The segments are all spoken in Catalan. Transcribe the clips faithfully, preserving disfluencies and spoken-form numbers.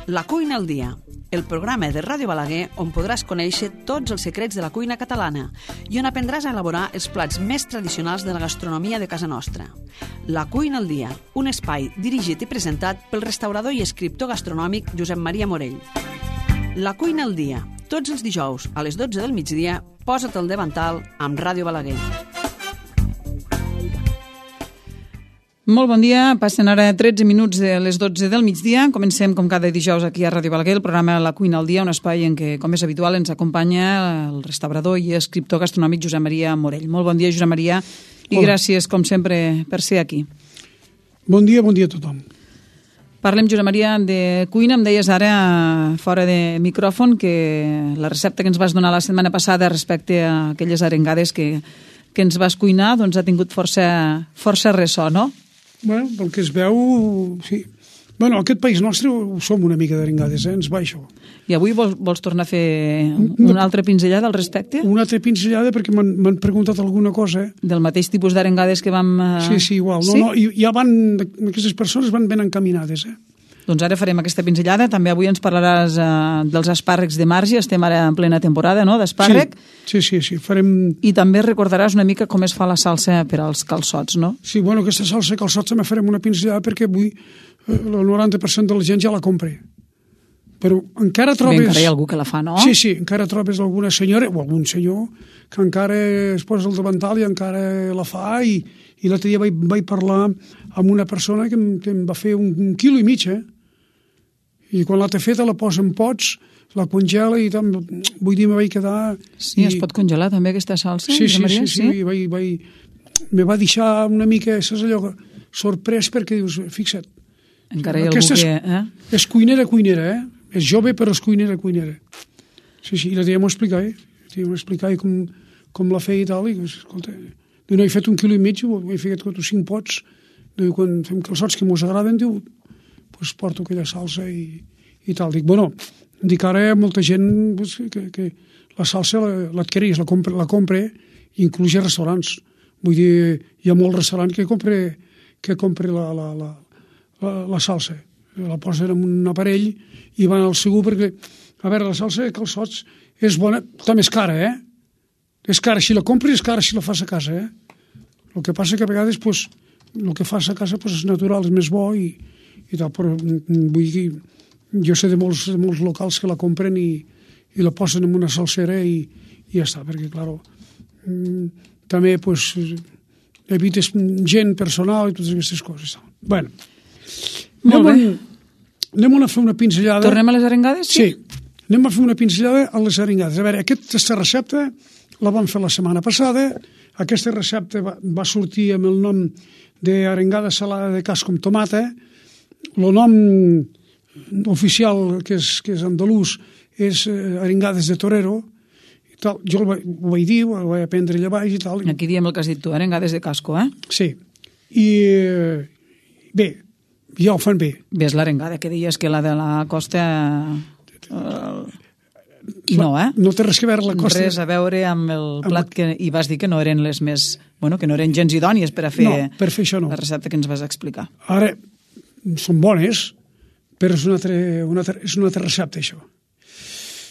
La cuina al dia, el programa de Ràdio Balaguer on podràs conèixer tots els secrets de la cuina catalana i on aprendràs a elaborar els plats més tradicionals de la gastronomia de casa nostra. La cuina al dia, un espai dirigit i presentat pel restaurador i escriptor gastronòmic Josep Maria Morell. La cuina al dia, tots els dijous a les dotze del migdia, posa't al davantal amb Ràdio Balaguer. Molt bon dia, passen ara tretze minuts de les dotze del migdia. Comencem com cada dijous aquí a Ràdio Balaguer, el programa La cuina al dia, un espai en què, com és habitual, ens acompanya el restaurador i escriptor gastronòmic Josep Maria Morell. Molt bon dia, Josep Maria, i Hola. Gràcies, com sempre, per ser aquí. Bon dia, bon dia a tothom. Parlem, Josep Maria, de cuina. Em deies ara, fora de micròfon, que la recepta que ens vas donar la setmana passada respecte a aquelles arengades que, que ens vas cuinar doncs ha tingut força, força ressò, no? Bueno, pel que es veu, sí. Bueno, aquest país nostre ho som una mica d'arengades, eh? Ens va això. I avui vols, vols tornar a fer una altra pinzellada al respecte? Una altra pinzellada perquè m'han preguntat alguna cosa. Eh? Del mateix tipus d'arengades que vam... Uh... Sí, sí, igual. No, sí? No, i ja van, aquestes persones van ben encaminades, eh? Doncs ara farem aquesta pinzellada. També avui ens parlaràs uh, dels espàrrecs de marge. Estem ara en plena temporada, no?, d'espàrrec. Sí, sí, sí, sí. Farem... I també recordaràs una mica com es fa la salsa per als calçots, no? Sí, bueno, aquesta salsa de calçots també farem una pinzellada perquè avui eh, el noranta per cent de la gent ja la compra. Però encara trobes... Bé, encara hi ha algú que la fa, no? Sí, sí, encara trobes alguna senyora o algun senyor que encara es posa el davantal i encara la fa i, i l'altre dia vaig, vaig parlar amb una persona que em, que em va fer un, un quilo i mig, eh? I quan l'ha feta la posa en pots, la congela i tant, vull dir, me vaig quedar... Sí, i... es pot congelar també aquesta salsa? Sí, sí, Maria? sí, sí, sí. Vaig, vaig... me va deixar una mica, saps allò, sorprès perquè dius, fixa't. Encara hi ha algú que... Eh? És cuinera, cuinera, eh? És jove, però és cuinera, cuinera. Sí, sí, i la tia m'ho explicava, eh? M'ho explicava com, com la feia i tal, i escolta, diu, no, he fet un quilo i mig, he fet quatre o cinc pots, diu, quan fem calçots que mos agraden, diu, pues porto aquella salsa i, i tal. Dic, bueno, dic, ara hi ha molta gent pues, que, que la salsa l'adquireix, la compra, la compra inclús a restaurants. Vull dir, hi ha molts restaurants que compra, que compra la, la, la, la, la salsa. La posen en un aparell i van al segur perquè, a veure, la salsa de calçots és bona, també és cara, eh? És cara, si la compres és cara si la fas a casa, eh? El que passa que a vegades, pues, el que fas a casa pues, és natural, és més bo i i tal, però vull dir, jo sé de molts, de molts locals que la compren i, i la posen en una salsera i, i ja està, perquè, clar, també, pues, evites gent personal i totes aquestes coses. Bueno, molt anem, bé. Anem a fer una pinzellada. Tornem a les arengades? Sí, anem a fer una pinzellada a les arengades. A veure, aquesta recepta la vam fer la setmana passada. Aquesta recepta va, va sortir amb el nom d'arengada salada de casc amb tomata. El nom oficial, que és, que és andalús, és eh, arengades de torero. I tal. Jo ho, ho vaig dir, ho vaig aprendre allà baix i tal. Aquí diem el que has dit tu, arengades de casco, eh? Sí. I eh, bé, ja ho fan bé. Bé, és l'arengada que deies que la de la costa... Eh, I no, eh? No té res que veure la costa. Res a veure amb el plat que... I vas dir que no eren les més... Bueno, que no eren gens idònies per a fer... No, per fer això no. La recepta que ens vas explicar. Ara... són bones, però és una altra, una altra, és una altra recepta, això.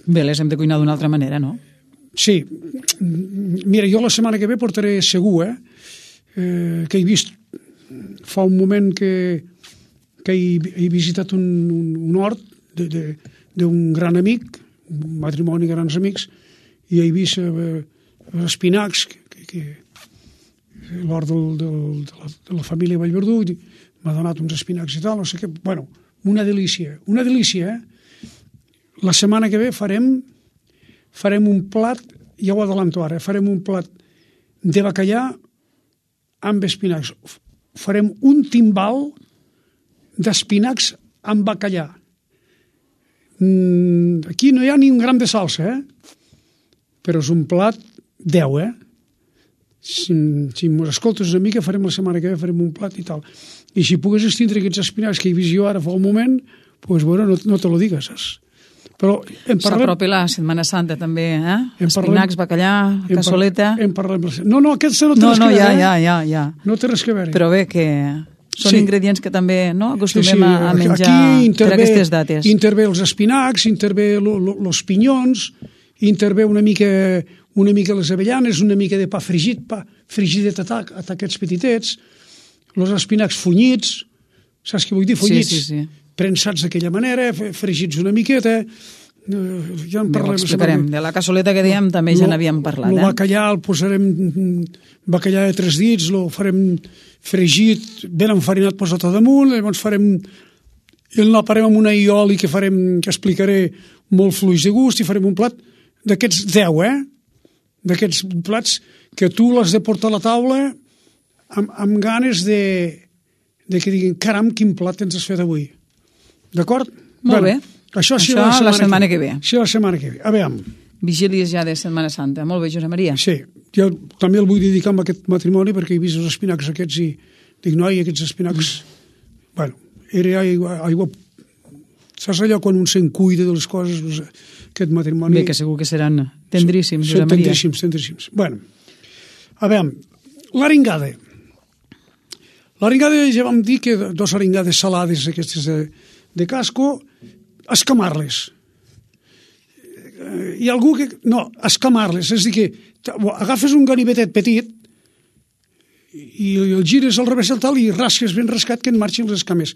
Bé, les hem de cuinar d'una altra manera, no? Sí. Mira, jo la setmana que ve portaré segur, eh? eh que he vist fa un moment que, que he, he visitat un, un, un hort d'un gran amic, un matrimoni de grans amics, i he vist eh, espinacs, que, que, l'hort del, del, de, la, de la família Vallverdú, i m'ha donat uns espinacs i tal, no sé què. Bueno, una delícia, una delícia, eh? La setmana que ve farem farem un plat, ja ho adelanto ara, farem un plat de bacallà amb espinacs. Farem un timbal d'espinacs amb bacallà. Aquí no hi ha ni un gram de salsa, eh? Però és un plat deu, eh? Si, si m'ho escoltes una mica, farem la setmana que ve, farem un plat i tal. I si pogués estindre aquests espinacs que he vist jo ara fa un moment, doncs, bueno, no, no te lo digues, saps? Però en parlem... S'apropi la Setmana Santa també, eh? Espinacs, bacallà, cassoleta... En parlem... No, no, aquesta no té no, res no, que veure. No, ja, ja, ja, ja. No té res que veure. Però bé, que, Són sí. ingredients que també no, acostumem sí, sí. a menjar intervé, per aquestes dates. Intervé els espinacs, intervé els pinyons, intervé una mica, una mica les avellanes, una mica de pa fregit, pa frigidet a, tac, a taquets petitets, els espinacs funyits, saps què vull dir? Funyits, sí, sí, sí. prensats d'aquella manera, fregits una miqueta. Ja en parlem. Ho explicarem. De la cassoleta que dèiem també ja n'havíem parlat. El eh? bacallà el posarem bacallà de tres dits, el farem fregit, ben enfarinat posat a damunt, llavors farem el naparem amb una ioli que farem, que explicaré, molt fluix de gust, i farem un plat d'aquests deu, eh? D'aquests plats que tu l'has de portar a la taula amb, amb ganes de, de que diguin, caram, quin plat ens has fet avui. D'acord? Molt bé. Això, Això la setmana, la setmana que ve. Sí, la setmana que ve. A veure. Vigílies ja de Setmana Santa. Molt bé, Josep Maria. Sí, jo també el vull dedicar a aquest matrimoni perquè he vist els espinacs aquests i dic, noi, aquests espinacs... Mm. Bueno, era aigua... aigua... Saps allò quan un se'n cuida de les coses? Doncs, aquest matrimoni... Bé, que segur que seran tendríssims, Josep Maria. Tendríssims, tendríssims. Bueno, a veure, l'aringada. L'aringada ja vam dir que dos aringades salades aquestes de, de casco, escamar-les. Hi ha algú que... No, escamar-les, és a dir que agafes un ganivetet petit i el gires al revés del tal i rasques ben rascat que en marxin les escames.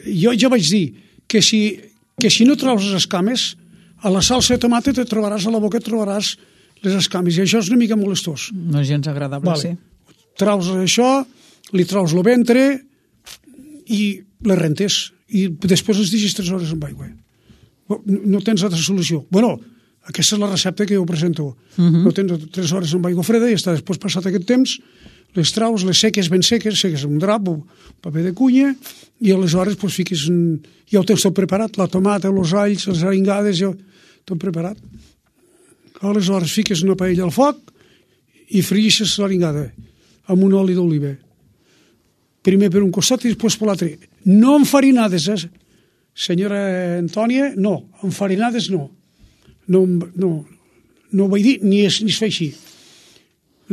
Jo ja vaig dir que si, que si no traus les escames, a la salsa de tomata te trobaràs, a la boca et trobaràs les escames, i això és una mica molestós. No és gens agradable, vale. Sí. Traus això, li traus el ventre i les rentes, i després les deixes tres hores amb aigua. No tens altra solució. Bueno, aquesta és la recepta que jo presento. Uh-huh. No tens tres hores amb aigua freda i està després passat aquest temps, les traus, les seques ben seques, seques amb un drap o paper de cunya, i aleshores pues, fiques en... ja ho tens tot preparat, la tomata, els alls, les aringades, ja tot preparat. Aleshores fiques una paella al foc i friguixes l'aringada amb un oli d'oliva. Primer per un costat i després per l'altre. No enfarinades, eh? Senyora Antònia, no. Enfarinades, no. No, no, no ho vaig dir, ni es, ni es fa així.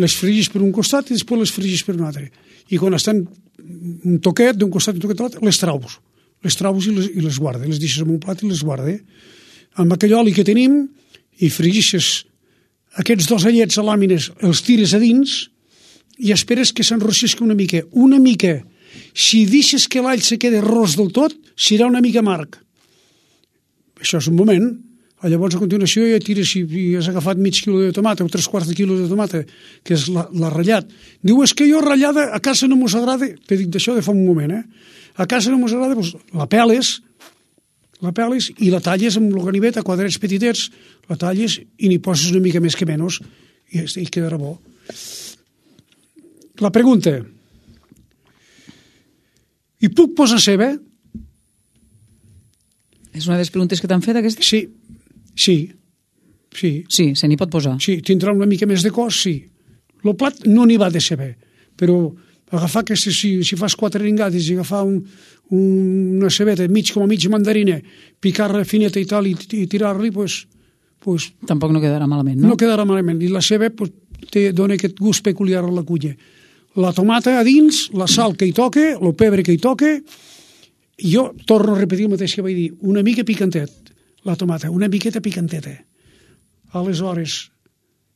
Les frigis per un costat i després les frigis per un altre. I quan estan un toquet d'un costat i un toquet de l'altre, les traus. Les traus i les, i les guarda. Les deixes en un plat i les guarda. Amb aquell oli que tenim i frigixes aquests dos allets a làmines, els tires a dins i esperes que s'enrossisca una mica. Una mica. Si deixes que l'all se quede ros del tot, serà una mica amarg. Això és un moment. Llavors, a continuació, ja tires, si has agafat mig quilo de tomata o tres quarts de quilo de tomata, que és la, la ratllat. Diu, és que jo ratllada a casa no mos agrada, t'he dit d'això de fa un moment, eh? A casa no mos agrada, doncs la peles, la peles i la talles amb el ganivet a quadrats petitets, la talles i n'hi poses una mica més que menys i, i quedarà bo. La pregunta: hi puc posar ceba? És una de les preguntes que t'han fet, aquesta? Sí, sí, sí. Sí, se n'hi pot posar. Sí, tindrà una mica més de cos, sí. El plat no n'hi va de ceba, però agafar aquestes, si, si fas quatre ringades i agafar un, un, una cebeta mig com a mig mandarina, picar-la fineta i tal i, i tirar-li, pues, pues, tampoc no quedarà malament, no? No quedarà malament. I la ceba pues, té, dona aquest gust peculiar a la cuina. La tomata a dins, la sal que hi toca, el pebre que hi toca, i jo torno a repetir el mateix que vaig dir, una mica picantet, la tomata, una miqueta picanteta. Aleshores,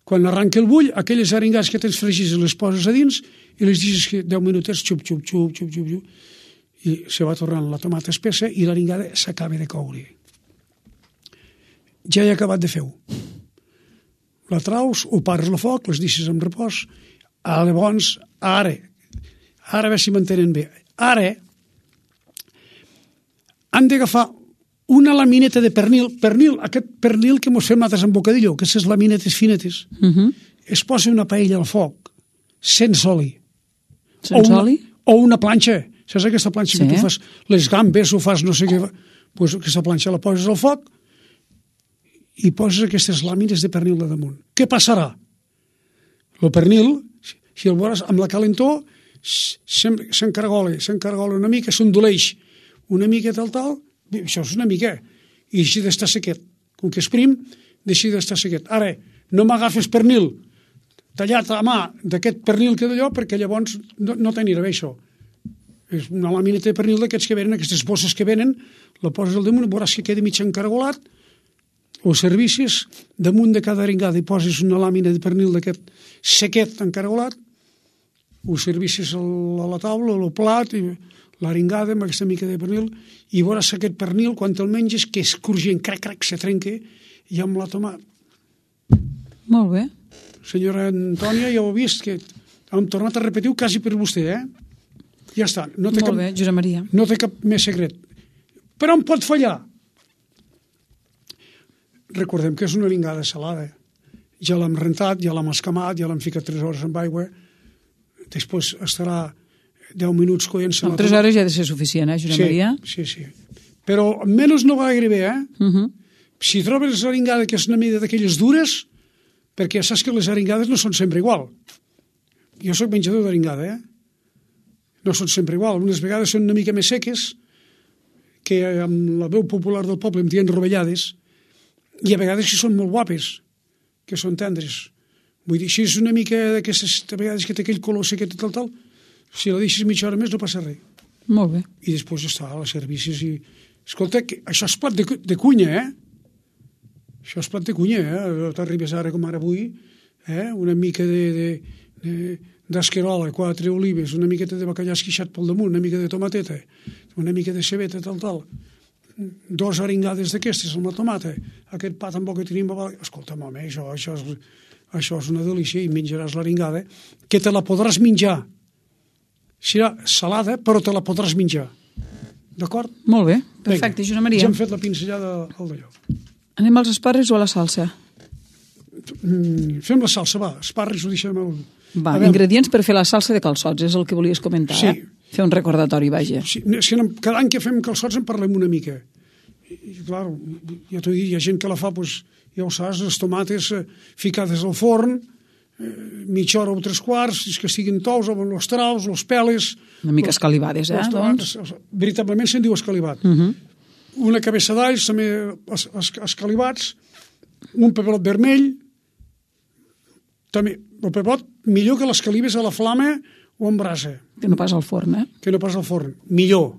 quan arranca el bull, aquelles aringades que tens fregits les poses a dins i les deixes que deu minutets, xup, xup, xup, xup, xup, xup, i se va tornant la tomata espessa i l'aringada s'acaba de coure. Ja he acabat de fer-ho. La traus, ho pares al foc, les deixes en repòs. Llavors, ara, ara a veure si m'entenen bé, ara han d'agafar una lamineta de pernil, pernil, aquest pernil que mos fem nosaltres en bocadillo, aquestes laminetes finetes, uh-huh. Es posa una paella al foc, sense oli. Sense o una, oli? O una planxa. Saps aquesta planxa sí. Que tu fas les gambes o fas no sé què? Pues aquesta planxa la poses al foc i poses aquestes làmines de pernil de damunt. Què passarà? El pernil, si el veuràs amb la calentor, s'encargola, s'encargola una mica, s'ondoleix una mica tal, tal, això és una mica, i així d'estar sequet. Com que és prim, deixi d'estar sequet. Ara, no m'agafes pernil tallat a mà d'aquest pernil que d'allò, perquè llavors no, no t'anirà bé això. És una làmina de pernil d'aquests que venen, aquestes bosses que venen, la poses al damunt, veuràs que queda mig encaragolat, o servissis, damunt de cada aringada hi poses una làmina de pernil d'aquest sequet encaragolat, ho servissis a la taula, al plat, i l'aringada amb aquesta mica de pernil, i veuràs aquest pernil, quan te'l menges, que és cruixent, crac, crac, se trenca, i amb la tomata. Molt bé. Senyora Antònia, ja ho he vist, que hem tornat a repetir quasi per vostè, eh? Ja està. No té Molt cap, bé, Josep Maria. No té cap més secret. Però on pot fallar? Recordem que és una aringada salada. Ja l'hem rentat, ja l'hem escamat, ja l'hem ficat tres hores amb aigua, després estarà deu minuts coent-se. Amb tres hores ja ha de ser suficient, eh, Josep sí, Maria? Sí, sí. Però menys no va gaire bé, eh? Uh -huh. Si trobes l'aringada que és una mida d'aquelles dures, perquè saps que les aringades no són sempre igual. Jo sóc menjador d'aringada, eh? No són sempre igual. Unes vegades són una mica més seques, que amb la veu popular del poble em diuen rovellades, i a vegades que són molt guapes, que són tendres. Vull dir, si és una mica d'aquestes, a vegades que té aquell color sequet i tal, tal, si la deixes mitja hora més no passa res. Molt bé. I després està a les servicis i... Escolta, que això és plat de, de cunya, eh? Això és plat de cunya, eh? T'arribes ara com ara avui, eh? Una mica de... de, de d'esquerola, quatre olives, una miqueta de bacallà esquixat pel damunt, una mica de tomateta, una mica de cebeta, tal, tal, dos aringades d'aquestes amb la tomata, aquest pa amb que tenim, escolta'm, home, això, això, és, això és una delícia, i menjaràs l'aringada, que te la podràs menjar. Serà salada, però te la podràs menjar. D'acord? Molt bé, perfecte, Josep Maria. Ja hem fet la pinzellada al d'allò. Anem als esparres o a la salsa? Mm, fem la salsa, va, esparres ho deixem al... Va, ingredients per fer la salsa de calçots, és el que volies comentar, sí. eh? Fer un recordatori, vaja. Sí, és que cada any que fem calçots en parlem una mica. I, i clar, ja t'ho he dit, hi ha gent que la fa, doncs, ja ho saps, les tomates eh, ficades al forn, eh, mitja hora o tres quarts, que estiguin tous, amb els traus, els peles... Una mica escalivades, eh? Doncs? Veritablement se'n diu escalivat. Uh -huh. Una cabeça d'alls, també es, es, escalivats, un pebrot vermell, també, el pebrot millor que les calives a la flama o en brasa. Que no pas al forn, eh? Que no pas al forn. Millor.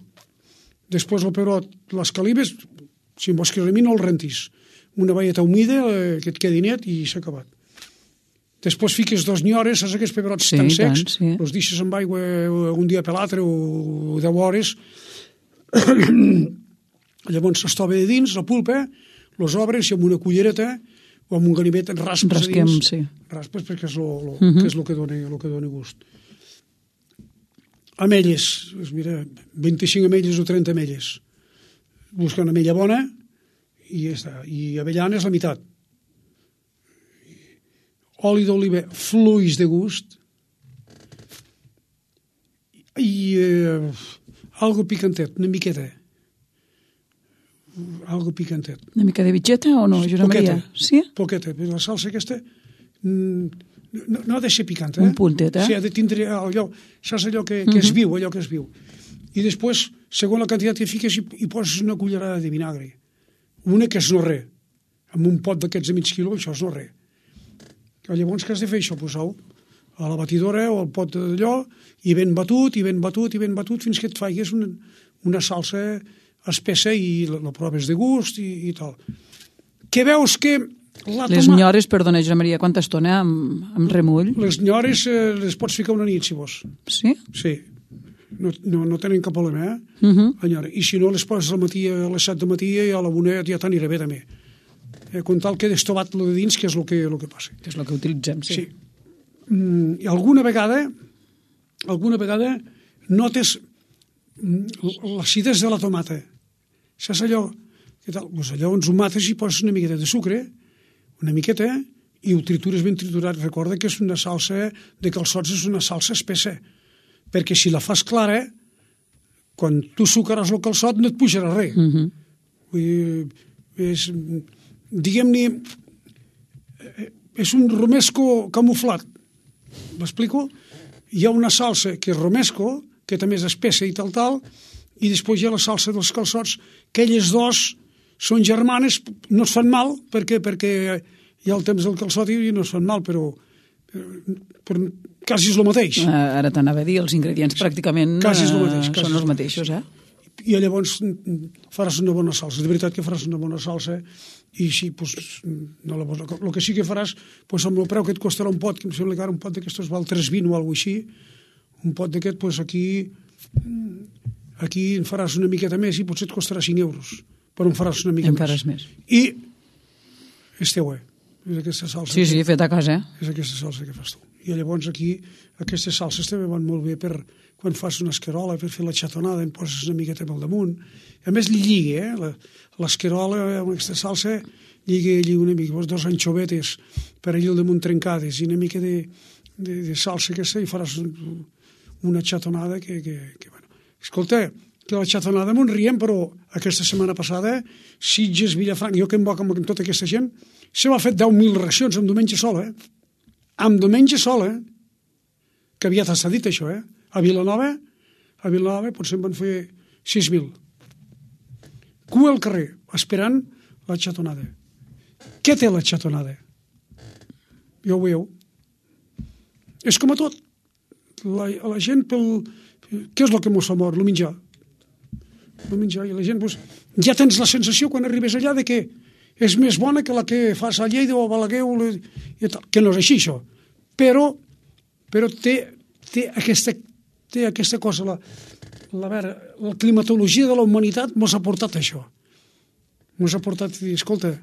Després el pebrot, les calives, si en vols que remi no el rentis. Una velleta humida eh, que et quedi net i s'ha acabat. Després fiques dos nyores, saps aquests pebrots sí, tan secs, tant, sí. els deixes amb aigua un dia per l'altre o deu hores. Llavors s'estova de dins, la pulpa, els obres i amb una cullereta o amb un ganivet raspes Rasquem, a dins. sí. Raspes perquè és el uh Mhm. -huh. que, és lo que, dona, lo que dona gust. Amelles, doncs mira, vint-i-cinc amelles o trenta amelles. Busca una amella bona i ja està. I avellanes la meitat. Oli d'oliva, fluix de gust. I eh, algo picantet, una miqueta. Algo picantet. Una mica de bitxeta o no, Josep Maria? Sí? Poqueta. La salsa aquesta no, no ha de ser picant, eh? Un puntet, eh? Sí, ha de tindre allò, saps allò que, que és viu, allò que és viu. I després, segons la quantitat que fiques, hi, hi poses una cullerada de vinagre. Una que és no res. Amb un pot d'aquests de mig quilo, això és no res. Llavors, què has de fer això? Posar-ho a la batidora o al pot d'allò, i ben batut, i ben batut, i ben batut, fins que et faigues una, una salsa espessa i la, la proves de gust i, i tal. Que veus que la Les toma... nyores, perdona, Josep Maria, quanta estona amb, amb remull? Les nyores eh, les pots ficar una nit, si vols. Sí? Sí. No, no, no tenen cap problema, eh? Uh -huh. La nyora. I si no, les poses al matí, a les set de matí i a la una ja t'anirà bé, també. Eh, com tal que destovat lo de dins, que és el que, lo que passa. Que és el que utilitzem, sí. Sí. Mm, I alguna vegada, alguna vegada notes l'acidesa de la tomata. Saps allò? Què tal? Pues allò ens ho mates i poses una miqueta de sucre, una miqueta, i ho tritures ben triturat. Recorda que és una salsa de calçots, és una salsa espessa, perquè si la fas clara, quan tu sucaràs el calçot no et pujarà res. Uh -huh. Vull dir, és, diguem-ne, és un romesco camuflat. M'explico? Hi ha una salsa que és romesco, que també és espessa i tal, tal, i després hi ha la salsa dels calçots, que elles dos són germanes, no es fan mal, perquè, perquè hi ha el temps del calçot i no es fan mal, però, però quasi és el mateix. Uh, ara t'anava a dir, els ingredients pràcticament quasi és el mateix, uh, són els mateixos, eh? I llavors faràs una bona salsa. De veritat que faràs una bona salsa i així, pues, no la pots... El que sí que faràs, pues, amb el preu que et costarà un pot, que em sembla que ara un pot d'aquestos val tres vint o alguna cosa així, un pot d'aquest, pues, aquí aquí en faràs una miqueta més i potser et costarà cinc euros, però en faràs una mica Encara més. més. I esteu, eh? És aquesta salsa. Sí, sí, fet a casa, eh? És aquesta salsa que fas tu. I llavors aquí, aquestes salses també van molt bé per quan fas una escarola, per fer la xatonada, en poses una miqueta pel damunt. A més, li lliga, eh? L'escarola amb aquesta salsa lliga, lliga una mica. Pos dos anxovetes per allà al damunt trencades i una mica de, de, de salsa aquesta i faràs una xatonada que, que, que bueno. Escolta, que la xatonada m'ho riem, però aquesta setmana passada, Sitges, Vilafranca, jo que em boc amb tota aquesta gent, se m'ha fet deu mil racions amb diumenge sol, eh? Amb diumenge sol, eh? Que aviat està dit això, eh? A Vilanova, a Vilanova potser en van fer sis mil. Cua al carrer, esperant la xatonada. Què té la xatonada? Ja ho veieu. És com a tot. La, la gent pel... Què és el que mos fa mort? El menjar. El menjar. I la gent, doncs, ja tens la sensació quan arribes allà de que és més bona que la que fas a Lleida o a Balaguer o la... i tal. Que no és així, això. Però, però té, té, aquesta, té aquesta cosa, la, la, vera, la climatologia de la humanitat mos ha portat això. Mos ha portat a dir, escolta,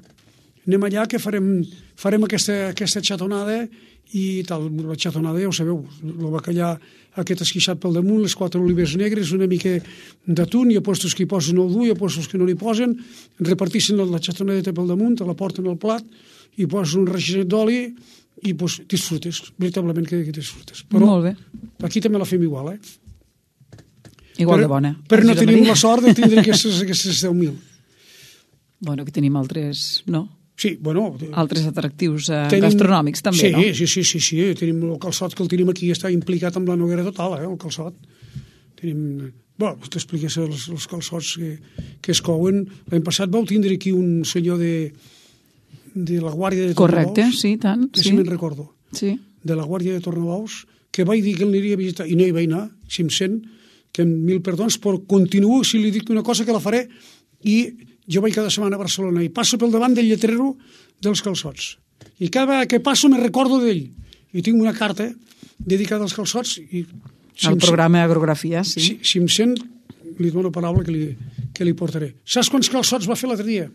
anem allà que farem, farem aquesta, aquesta xatonada i tal. La xatonada, ja ho sabeu, el bacallà aquest esquixat pel damunt, les quatre olives negres, una mica d'atún, hi ha postos que hi posen el dur, hi ha postos que no n'hi posen, repartixen la xatonada pel damunt, te la porten al plat, i posen un reginet d'oli i pues, disfrutes, veritablement que, que disfrutes. Però molt bé. Aquí també la fem igual, eh? Igual per, de bona. Però no tenim la sort de tindre aquestes, aquestes deu mil. Bueno, que tenim altres, no? Sí, bueno... Altres atractius eh, tenim, gastronòmics, també, sí, no? Sí, sí, sí, sí. Tenim el calçot que el tenim aquí, està implicat amb la Noguera total, eh, el calçot. Tenim... Bueno, t'expliques els, els calçots que, que es couen. L'any passat vau tindre aquí un senyor de, de la Guàrdia de Tornabous. Correcte, sí, tant. Que sí. si me'n recordo. Sí. De la Guàrdia de Tornabous, que vaig dir que l'aniria a visitar, i no hi vaig anar, si em sent, que amb mil perdons, però continuo, si li dic una cosa, que la faré, i jo vaig cada setmana a Barcelona i passo pel davant del lletrero dels calçots. I cada vegada que passo me recordo d'ell. I tinc una carta dedicada als calçots. I, si el programa Agrografia, sí. Si, si em sent, li dono paraula que li, que li portaré. Saps quants calçots va fer l'altre dia?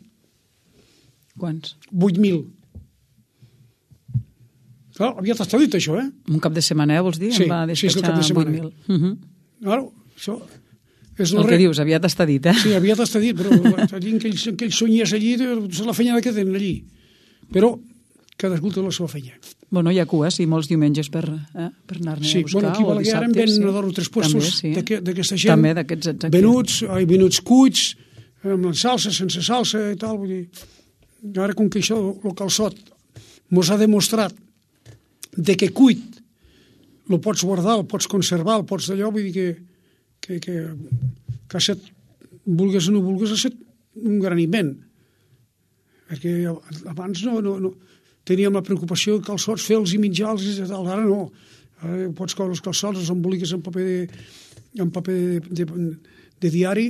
Quants? vuit mil. Clar, aviat està dit això, eh? Un cap de setmana, eh, vols dir? Sí, em va sí, és el cap de setmana. vuit mil. Uh-huh. Clar, això... És el que dius, aviat està dit, eh? Sí, aviat està dit, però allí que ells, que ells sonyies allí, és la feina que tenen allí. Però cadascú té la seva feina. Bueno, hi ha cua, sí, molts diumenges per, eh, per anar-ne sí, a buscar, bueno, aquí o dissabtes. Ara en ven sí. dos o tres puestos sí. d'aquesta gent. També d'aquests, exacte. Venuts, ai, venuts cuits, amb salsa, sense salsa i tal. Vull dir, ara com que això, el calçot, mos ha demostrat de que cuit el pots guardar, el pots conservar, el pots d'allò, vull dir que que, que, que ha set, vulgues o no vulgues, ha set un gran invent. Perquè abans no, no, no teníem la preocupació de calçots, fer-los i menjar-los i tal. Ara no. Ara pots coure els calçots, els emboliques en paper de, en paper de, de, de diari.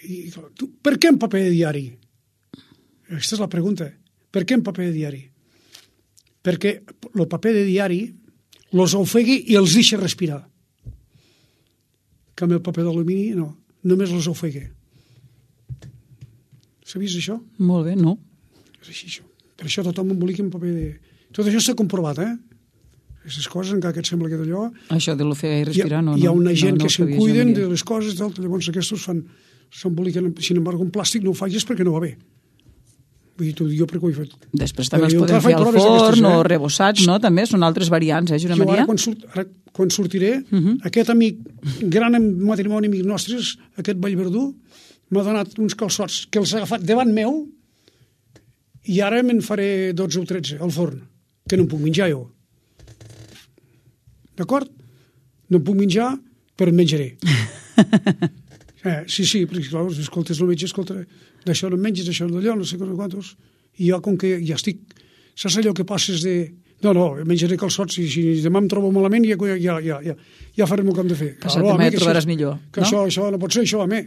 I, tu, per què en paper de diari? Aquesta és la pregunta. Per què en paper de diari? Perquè el paper de diari els ofegui i els deixa respirar. Que amb el paper d'alumini, no. Només els ofega. Sabies això? Molt bé, no. És així, això. Per això tothom embolica en paper de... Tot això està comprovat, eh? Aquestes coses, encara que et sembla que d'allò... Això de l'ofegar i respirar, no. Hi ha una gent no, no que se'n cuiden de les coses, tal, llavors aquests fan... s'emboliquen, sin embargo, en plàstic no ho facis perquè no va bé. Vull dir, t'ho dic jo perquè ho he fet. Després també els podem fer al forn o rebossats, no? També són altres variants, eh, Josep Maria? Jo ara, quan, surt, ara, quan sortiré, uh -huh. aquest amic, gran matrimoni amic nostres, aquest Vallverdú, m'ha donat uns calçots que els ha agafat davant meu i ara me'n faré dotze o tretze al forn, que no em puc menjar jo. D'acord? No em puc menjar, però em menjaré. eh, sí, sí, perquè clar, escoltes el metge, escolta, d'això no em menges, d'això no d'allò, no sé quantos. I jo, com que ja estic... Saps allò que passes de, No, no, menjaré calçots, i si demà em trobo malament ja, ja, ja, ja, ja farem el que hem de fer. Passat demà et trobaràs millor, que no? Això, això no pot ser, això, home.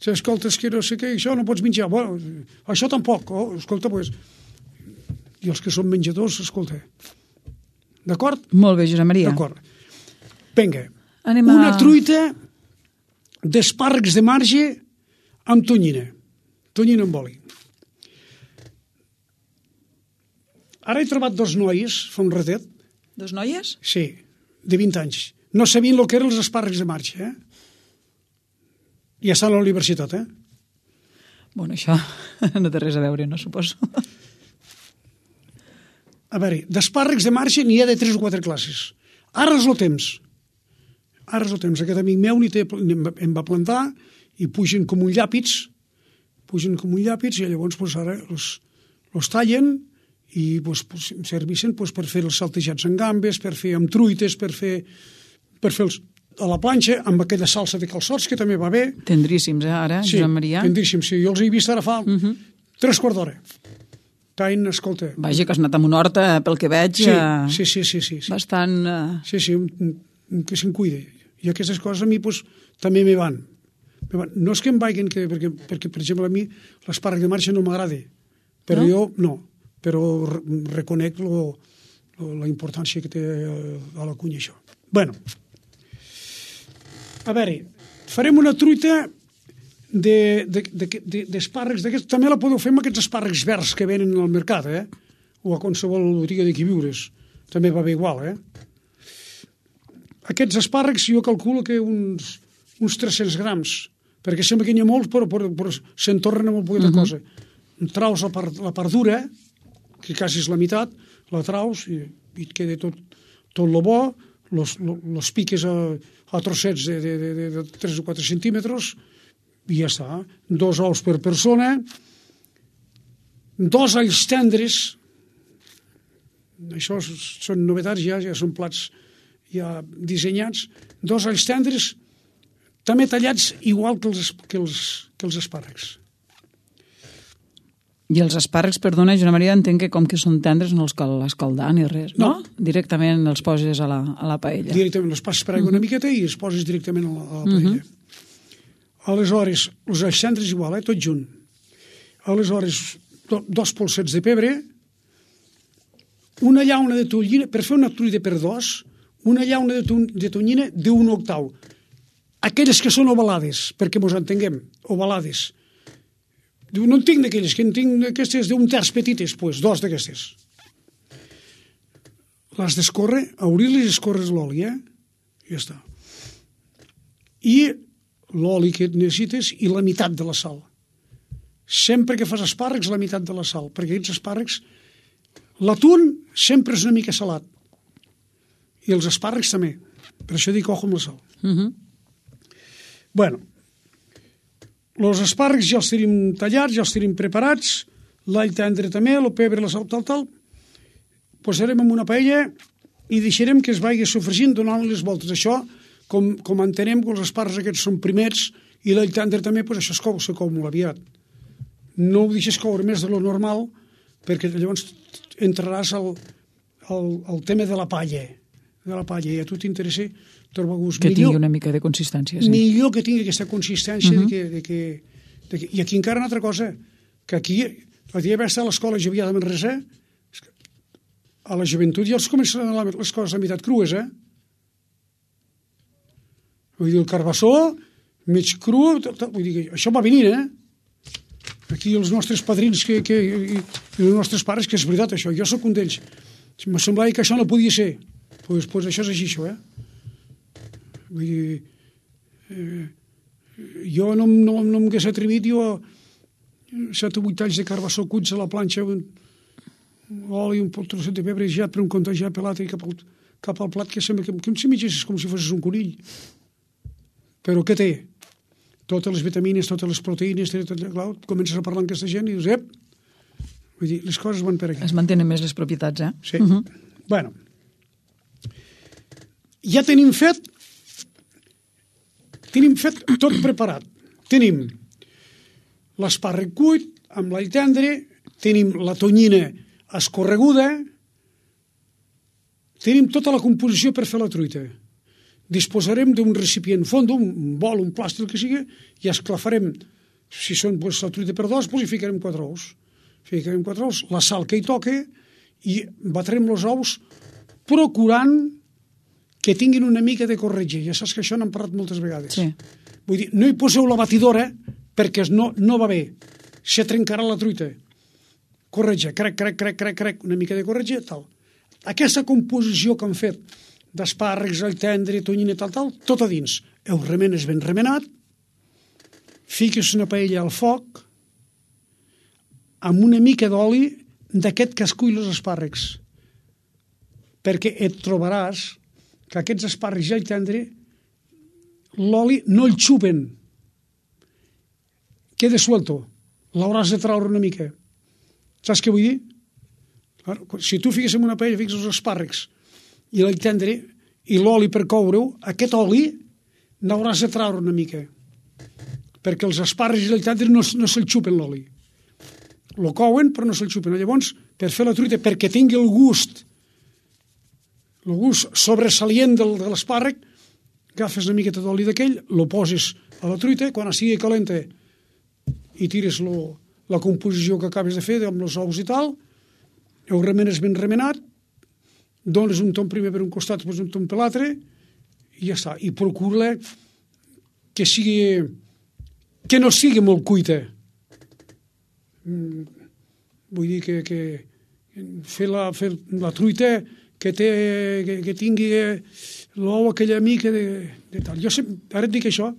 Si escoltes que no sé què, això no pots menjar. Bueno, això tampoc. Oh, escolta, pues... I els que són menjadors, escolta. D'acord? Molt bé, Josep Maria. D'acord. Vinga. Anem a... Una truita d'espàrrecs de marge amb tonyina. Tonyina amb oli. Ara he trobat dos noies, fa un ratet. Dos noies? Sí, de vint anys. No sabien el que eren els espàrrecs de marge, eh? Ja estan a la universitat, eh? Bueno, això no té res a veure, no suposo. A veure, d'espàrrecs de marge n'hi ha de tres o quatre classes. Ara és el temps. Ara és el temps. Aquest amic meu té, em va plantar i pugen com un llàpits, pugen com un llàpits i llavors pues, ara els, els tallen i pues, pues, serveixen pues, per fer els saltejats en gambes, per fer amb truites, per fer, per fer els, a la planxa amb aquella salsa de calçots que també va bé. Tendríssims, eh, ara, sí, Josep Maria? Tendríssims, sí. Jo els he vist ara fa uh -huh. tres quarts d'hora. Tain, escolta... Vaja, que has anat amb una horta, pel que veig... Sí, eh, sí, sí, sí, sí, sí. Bastant... Eh... Sí, sí, un, un, que se'n cuide. I aquestes coses a mi pues, també me van. me van. No és que em vagin, que, perquè, perquè, per exemple, a mi l'espàrrec de marxa no m'agrada. Però no? jo, no. Però reconec lo, lo, la importància que té a la cunya, això. Bueno, a veure, farem una truita d'espàrrecs d'aquests. També la podeu fer amb aquests espàrrecs verds que venen al mercat, eh? O a qualsevol botiga de queviures. També va bé igual, eh? Aquests espàrrecs jo calculo que uns, uns tres-cents grams, perquè sembla que n'hi ha molts, però, però, però se'n tornen a molt poqueta uh -huh. cosa. Traus la part, la part dura, que quasi és la meitat, la traus i, i et queda tot, tot lo bo, los, los piques a, a trossets de, de, de, de tres o quatre centímetres i ja està. Dos ous per persona, dos alls tendres, això són novetats ja, ja són plats ja dissenyats, dos alls tendres també tallats igual que els, que els, que els espàrrecs. I els espàrrecs, perdona, Joana Maria, entenc que com que són tendres no els cal escaldar ni res, no? no? Directament els poses a la, a la paella. Directament els passes per aigua una miqueta i els poses directament a la, a la paella. Uh -huh. Aleshores, els alls tendres igual, eh? Tot junt. Aleshores, do, dos polsets de pebre, una llauna de tonyina, per fer una truita per dos, una llauna de, ton, de tonyina d'un octau. Aquelles que són ovalades, perquè mos entenguem, ovalades. No en tinc d'aquelles, que en tinc d'aquestes d'un terç petites, doncs, pues, dos d'aquestes. Les d'escórrer, obrir-les i escórrer l'oli, eh? I ja està. I l'oli que necessites i la meitat de la sal. Sempre que fas espàrrecs, la meitat de la sal, perquè aquests espàrrecs... L'atún sempre és una mica salat. I els espàrrecs també. Per això dic ojo amb la sal. Uh -huh. Bueno, els espàrrecs ja els tenim tallats, ja els tenim preparats, l'all tendre també, el pebre, la sal, tal, tal. Posarem en una paella i deixarem que es vagi sofregint donant les voltes. Això, com, com entenem que els espàrrecs aquests són primers i l'all tendre també, doncs això es cou, se cou molt aviat. No ho deixes coure més de lo normal, perquè llavors entraràs al, al, al tema de la palla, de la palla, i a tu t'interessa trobar gust. Que millor, tingui una mica de consistència, sí. Millor que tingui aquesta consistència uh -huh. de que, de que, de que... I aquí encara una altra cosa, que aquí, la dia va estar a l'escola Jovià de Manresa, a la joventut ja els comencen a donar les coses a meitat crues, eh? Vull dir, el carbassó, mig cru, vull dir, això va venir, eh? Aquí els nostres padrins que, que, i, i els nostres pares, que és veritat això, jo sóc un d'ells. M'ha semblat que això no podia ser. Doncs pues, pues això és així, això, eh? Vull dir, eh, jo no, no, no m'hagués atrevit, jo set o vuit talls de carbassó cuits a la planxa, un, oli, un trosset de pebre ja per un compte ja pelat i cap al, cap al plat, que sembla que, que si mitges com si fossis un conill. Però què té? Totes les vitamines, totes les proteïnes, tot, clar, comences a parlar amb aquesta gent i dius, ep, vull dir, les coses van per aquí. Es mantenen més les propietats, eh? Sí. Uh -huh. Bueno, ja tenim fet, tenim fet tot preparat. Tenim l'espàrrec cuit amb l'all tendre, tenim la tonyina escorreguda, Tenim tota la composició per fer la truita. Disposarem d'un recipient fondo, un bol, un plàstic, el que sigui, i esclafarem, si són pues, la truita per dos, pues, hi ficarem quatre ous. Ficarem quatre ous, la sal que hi toque, i batrem els ous procurant que tinguin una mica de corretge. Ja saps que això n'hem parlat moltes vegades. Sí. Vull dir, no hi poseu la batidora perquè no, no va bé. Se trencarà la truita. Corretge, crec, crec, crec, crec, crec, una mica de corretge, tal. Aquesta composició que han fet d'espàrrecs, all tendre, tonyina, tal, tal, tot a dins. Ho remenes ben remenat, fiques una paella al foc amb una mica d'oli d'aquest que es cull els espàrrecs. Perquè et trobaràs que aquests espàrrecs i all tendre l'oli no el xupen. Queda suelto. L'hauràs de traure una mica. Saps què vull dir? Si tu fiques en una paella, fiques els espàrrecs i l'all tendre i l'oli per coure-ho, aquest oli n'hauràs de traure una mica. Perquè els espàrrecs i l'all tendre no, no se'l xupen l'oli. Lo couen però no se'l xupen. Llavors, per fer la truita, perquè tingui el gust el gust sobresalient del, de l'espàrrec, agafes una miqueta d'oli d'aquell, lo poses a la truita, quan estigui calenta i tires lo, la composició que acabes de fer amb els ous i tal, ho remenes ben remenat, dones un tom primer per un costat, després un tom per l'altre, i ja està. I procura que sigui que no sigui molt cuita. Mm, vull dir que, que fer, la, fer la truita que, té, que, que tingui l'ou aquella mica de, de tal. Jo sempre, ara et dic això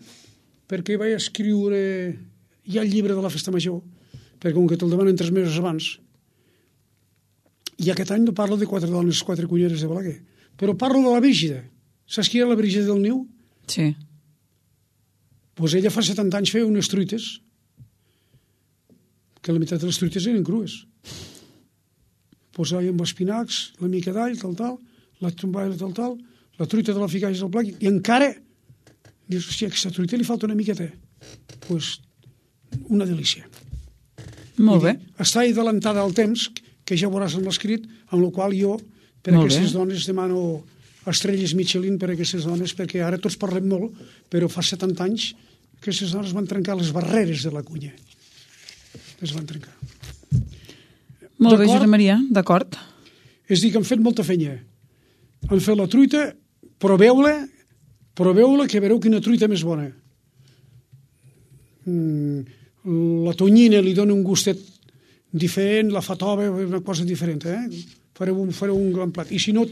perquè vaig escriure ja el llibre de la festa major, perquè com que te'l demanen tres mesos abans, i aquest any no parlo de quatre dones, quatre cunyeres de Balaguer, però parlo de la Brígida. Saps qui era la Brígida del Niu? Sí. Pues ella fa setanta anys feia unes truites, que la meitat de les truites eren crues. Posava amb espinacs, la mica d'all, tal, tal, la tromballa, tal, tal, la truita de la ficaix al plat, i encara dius, hòstia, aquesta truita li falta una miqueta. Doncs pues, una delícia. Molt bé. Està adelantada al temps, que ja veuràs en l'escrit, amb el qual jo, per a aquestes dones, demano estrelles Michelin per a aquestes dones, perquè ara tots parlem molt, però fa setanta anys aquestes dones van trencar les barreres de la cuina. Les van trencar. Molt bé, Josep Maria, d'acord. És dir, que han fet molta feina. Han fet la truita, proveu-la, proveu-la, que veureu quina truita més bona. Mm, la tonyina li dona un gustet diferent, la fatova, una cosa diferent, eh? Fareu un, fareu un gran plat. I si no,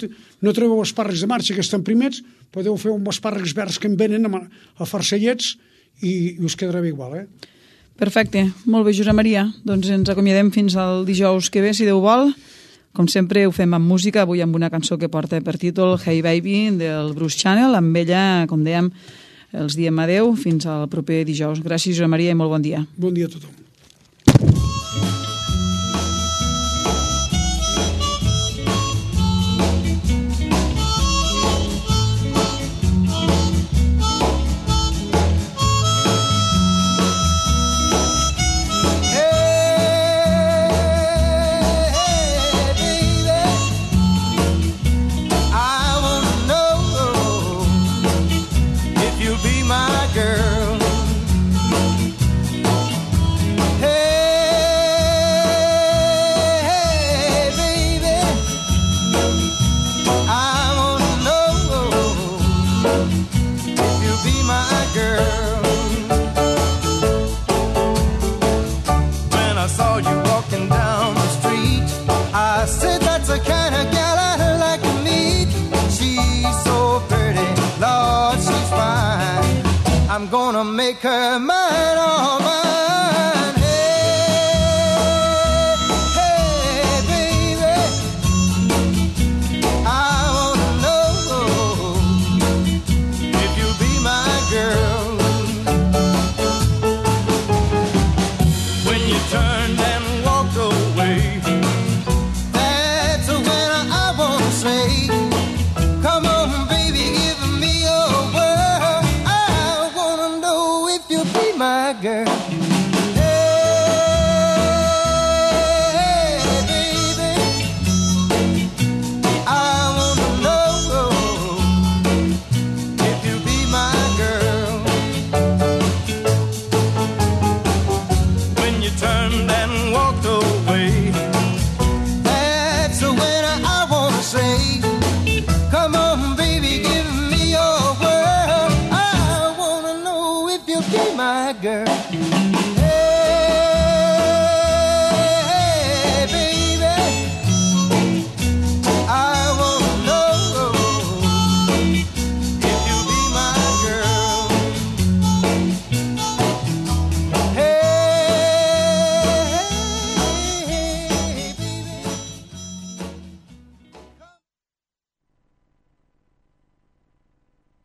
no trobeu espàrrecs de marxa que estan primers, podeu fer uns espàrrecs verds que en venen a, a farcellets i, i us quedarà bé igual, eh? Perfecte. Molt bé, Josep Maria. Doncs ens acomiadem fins al dijous que ve, si Déu vol. Com sempre, ho fem amb música, avui amb una cançó que porta per títol Hey Baby, del Bruce Channel. Amb ella, com dèiem, els diem adeu fins al proper dijous. Gràcies, Josep Maria, i molt bon dia. Bon dia a tothom. I'm gonna make her mine, all mine. Hey, hey, baby, I wanna know if you'll be my girl. When you turned and walked away, that's when I wanna say, come on, baby, give me your word. My girl. turned and walked away. That's when I wanna say, come on baby, give me your world. I wanna know if you'll be my girl.